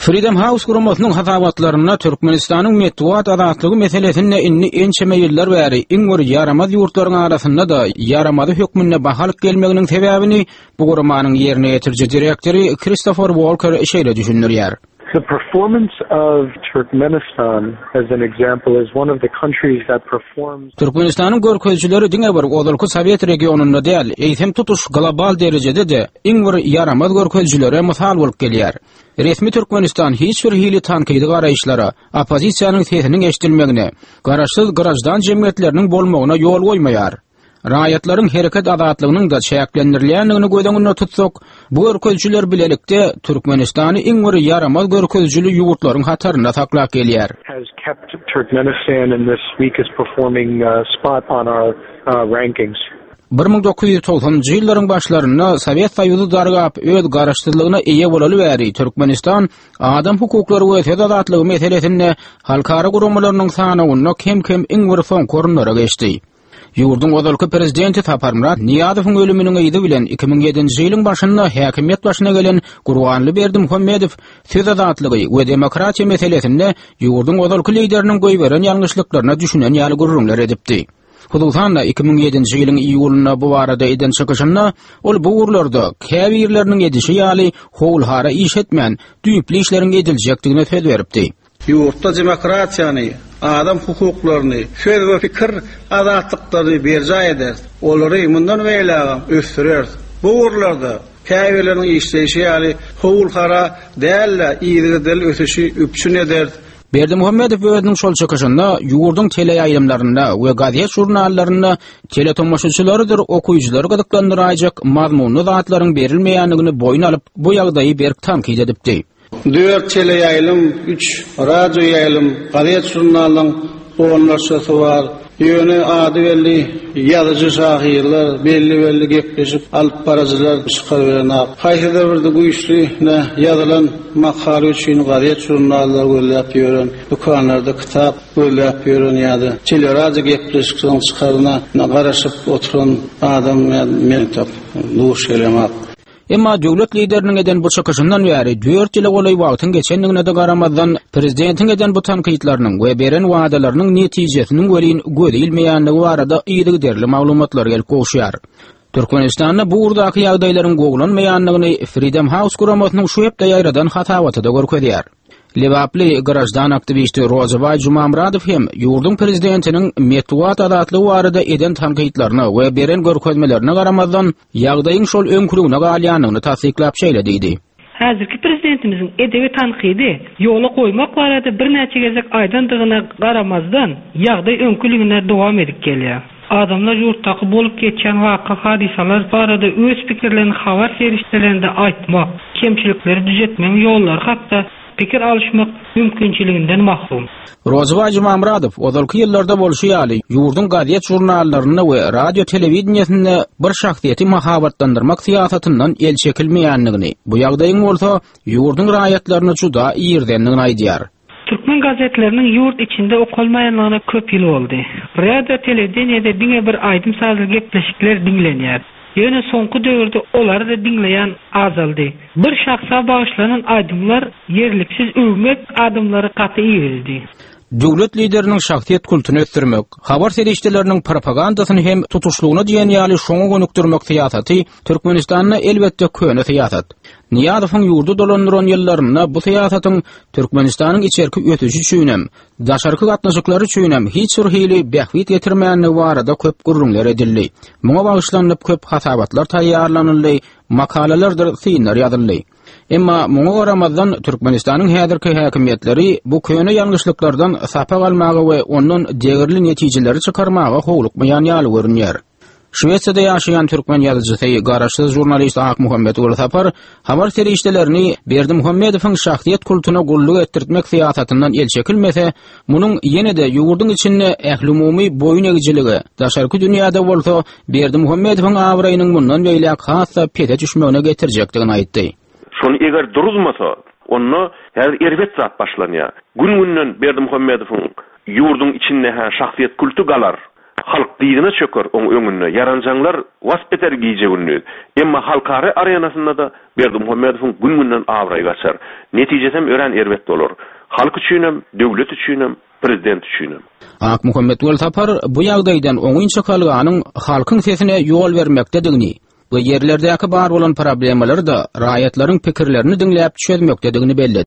Freedom House guramasynyň hasabatlarynda Türkmenistanyň metbugat azatlygy meselesinde indi ençeme ýyllar bäri iň bir ýaramaz ýurtlaryň arasynda-da ýaramazy hökmünde baha alyp gelmeginiň sebäbini bu guramanyň ýerine ýetiriji direktory Kristofer Walker şeýle düşündirýär. The performance of Turkmenistan as an example is one of the countries that performs Türkmenistanyň görkezijileri diňe bir ozalky sowet regionynda däl, eýsem tutuş global derejede-de iň bir ýaramaz görkezijilere mysal bolup gelýär. Resmi Türkmenistan hiç bir hili tankydy garaýyşlara, oppozisiýanyň sesiniň eşidilmegine, garaşsyz graždan jemgyýetleriniň bolmagyna ýol goýmaýar. Raýatlaryň hereket azatlygynyň-da çäklendirilýändigini göz öňünde tutsak, bu görkezijiler bilelikde Türkmenistany iň bir ýaramaz görkezijili ýurtlaryň hatarynda saklap gelýär. Has kept Turkmenistan in this weakest performing spot on our rankings. 1990-njy ýyllaryň başlarynda Sowet Soýuzy dargap, öz garaşsyzlygyna eýe bolaly bäri Türkmenistan adam hukuklary we söz azatlygy meselesinde halkara guramalarynyň sanawynda kem-kem iň bir soňky orunlara geçdi. Ýurduň ozalky prezidenti Saparmyrat Nyýazowyň ölüminiň yzy bilen 2007-nji ýylyň başynda häkimiýet başyna gelen Gurbanly Berdimuhamedow söz azatlygy we demokratiýa meselesinde ýurduň ozalky lideriniň goýberen ýalňyşlyklaryna düşünen ýaly gürrüňler edipdi. Hususan-da, 2007-nji ýylyň iýulynda bu barada eden çykyşynda ol bu ugurlarda käbirleriniň edişi ýaly howul-hara iş etmän, düýpli işleriň ediljekdigine söz beripdi. Ýurtda demokratiýany, adam hukuklaryny, söz we pikir azatlyklaryny berjaý ederis, olary mundan beýlägem ösdüreris. Bu ugurlarda käbirleriniň işleýşi ýaly howul-hara däl-de, yzygiderli ösüşi üpjün ederis. Berdimuhamedow özüniň şol çykyşynda ýurduň teleýaýlymlarynda we gazet-žurnallarynda teletomaşaçylarydyr okyjylary gyzyklandyraýjak mazmunly zatlaryň berilmeýändigini boýun alyp, bu ýagdaýy berk tankyt edipdi. Dört teleýaýlym, üç radioýaýlym, gazet-žurnalyň onlarçasy bar. Ýöne ady belli ýazyjy-şahyrlar, belli-belli gepleşik alyp baryjylar çykaryberenok. Haýsydyr bir güýçli ýazylan makala üçin gazet-žurnallar gözläp ýören, dükanlarda kitap gözläp ýören ýa-da teleradio gepleşikleriň çykaryna garaşyp oturan adam men duş gelemok. Emma döwlet lideriniň eden bu çykyşyndan bäri dört ýyla golaý wagtyň geçendigine-de garamazdan, prezidentiň eden bu tankytlarynyň we beren wadalarynyň netijesiniň welin göze ilmeýändigi barada yzygiderli maglumatlar gelip gowuşýar. Türkmenistanda bu ugurdaky ýagdaýlaryň gowulanmaýandygyny Freedom House guramasynyň şu hepde ýaýradan hasabaty-da görkezýär. Lebaply graždan aktiwisti Rozybaý Jumamyradow hem ýurduň prezidentiniň metbugat azatlygy barada eden tankytlaryna we beren görkezmelerine garamazdan, ýagdaýyň şol öňküligine galýandygyny tassyklap şeýle diýdi. Häzirki prezidentimiziň edebi tankydy ýola goýmak barada birnäçe gezek aýdandygyna garamazdan, ýagdaý öňküligine dowam edip gelýär. Adamlar ýurtdaky bolup geçýän waka-hadysalar barada öz pikirlerini habar serişdelerinde aýtmak, kemçilikleri düzetmegiň ýollary hakda pikir alyşmak mümkinçiliginden mahrum. Rozybaý Jumamyradow, ozalky ýyllarda bolşy ýaly, ýurduň gazet-žurnallarynda we radio-telewideniýesinde bir şahsyýeti mahabatlandyrmak syýasatyndan el çekilmeýändigini, bu ýagdaýyň bolsa ýurduň raýatlaryny juda irizendigini aýdýar. Türkmen gazetleriniň ýurt içinde okalmaýanlygyna köp ýyl boldy. Radio, telewideniýede diňe bir aýdym-sazly gepleşikler diňlenýär. Ýöne soňky döwürde olary-da diňleýän azaldy. Bir şahsa bagyşlanan aýdymlar ýerliksiz öwmek adamlary gaty irizdi. Döwlet lideriniň şahsyýet kultuny ösdürmek, habar serişdeleriniň propagandasyny hem tutuşlygyna diýen ýaly şoňa gönükdirmek syýasaty Türkmenistanda elbetde köne syýasat. Nyýazowyň ýurdy dolandyran ýyllarynda bu syýasatyň Türkmenistanyň içerki ösüşi üçinem, daşarky gatnaşyklary üçinem hiç bir hili bähbit getirmändigi barada köp gürrüňler edildi. Muňa bagyşlanyp köp hasabatlar taýýarlanyldy, makalalardyr synlar ýazyldy. Emma muňa garamazdan Türkmenistanyň häzirki häkimiýetleri bu köne ýalňyşlyklardan sapak almaga we ondan degerli netijeleri çykarmaga howlukmaýan ýaly görünýär. Şwesiýada ýaşaýan türkmen ýazyjysy, garaşsyz žurnalist Akmuhammet Gulsapar habar serişdelerini Berdimuhamedowyň şahsyýet kultuna gulluk etdirtmek syýasatyndan el çekilmese, munuň ýene-de ýurduň içinde ählumumy boýun egijilige, daşarky dünýäde bolsa Berdimuhamedowyň abraýynyň mundan beýläk has-da pese düşmegine getirjekdigini aýtdy. Şony eger duruzmasa, onda häzir erbet zat başlanýar. Gün-günden Berdimuhamedowyň ýurduň içinde-hä şahsyýet kulty galar. Halk dyzyna çöker oň öňünde, ýaranjaňlar wasp eder gije-gündiz. Emma halkara arenasynda-da Berdimuhamedowyň gün-günden abraýy gaçar. Netijesem örän erbet bolar. Halk üçinem, döwlet üçinem, prezident üçinem. Akmuhammet Welsapar bu ýagdaýdan oňyn çykalganyň halkyň sesine ýol bermekdedigini we ýerlerdäki bar bolan problemalary-da raýatlaryň pikirlerini diňläp çözmekdedigini belledi.